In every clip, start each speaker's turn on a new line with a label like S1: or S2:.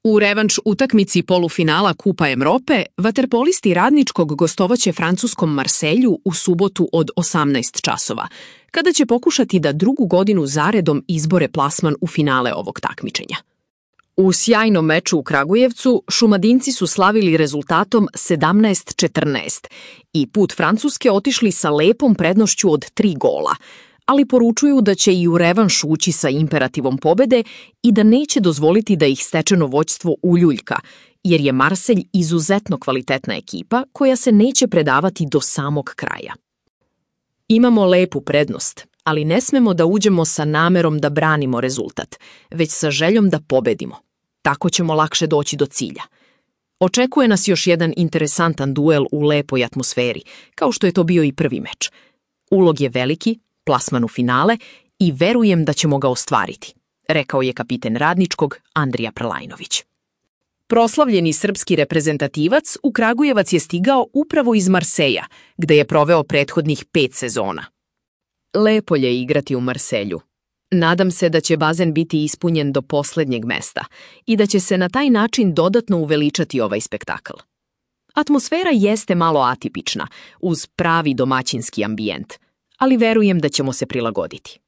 S1: U revanš utakmici polufinala Kupa Evrope, vaterpolisti Radničkog gostovaće francuskom Marselju u subotu od 18 časova, kada će pokušati da drugu godinu zaredom izbore plasman u finale ovog takmičenja. U sjajnom meču u Kragujevcu Šumadinci su slavili rezultatom 17-14 i put Francuske otišli sa lepom prednošću od 3 gola, ali poručuju da će i u revanš ući sa imperativom pobede i da neće dozvoliti da ih stečeno vođstvo uljuljka, jer je Marselj izuzetno kvalitetna ekipa koja se neće predavati do samog kraja. Imamo lepu prednost, ali ne smemo da uđemo sa namerom da branimo rezultat, već sa željom da pobedimo. Tako ćemo lakše doći do cilja. Očekuje nas još jedan interesantan duel u lepoj atmosferi, kao što je to bio i prvi meč. Ulog je veliki, plasman u finale i verujem da ćemo ga ostvariti, rekao je kapiten Radničkog Andrija Prlajnović. Proslavljeni srpski reprezentativac u Kragujevac je stigao upravo iz Marseja, gde je proveo prethodnih 5 sezona. Lepo je igrati u Marselju. Nadam se da će bazen biti ispunjen do poslednjeg mesta i da će se na taj način dodatno uveličati ovaj spektakl. Atmosfera jeste malo atipična, uz pravi domaćinski ambijent, ali verujem da ćemo se prilagoditi.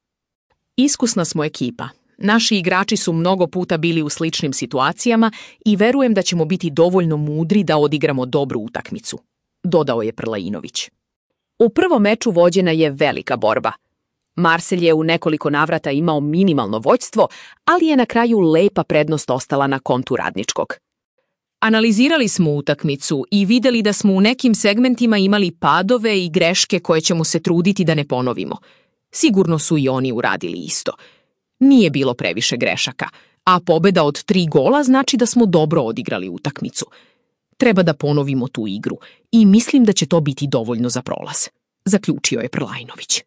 S1: Iskusna smo ekipa. Naši igrači su mnogo puta bili u sličnim situacijama i verujem da ćemo biti dovoljno mudri da odigramo dobru utakmicu, dodao je Prlajinović. U prvom meču vođena je velika borba. Marselj je u nekoliko navrata imao minimalno vođstvo, ali je na kraju lepa prednost ostala na kontu Radničkog. Analizirali smo utakmicu i videli da smo u nekim segmentima imali padove i greške koje ćemo se truditi da ne ponovimo. Sigurno su i oni uradili isto. Nije bilo previše grešaka, a pobeda od 3 gola znači da smo dobro odigrali utakmicu. Treba da ponovimo tu igru i mislim da će to biti dovoljno za prolaz, zaključio je Prlajnović.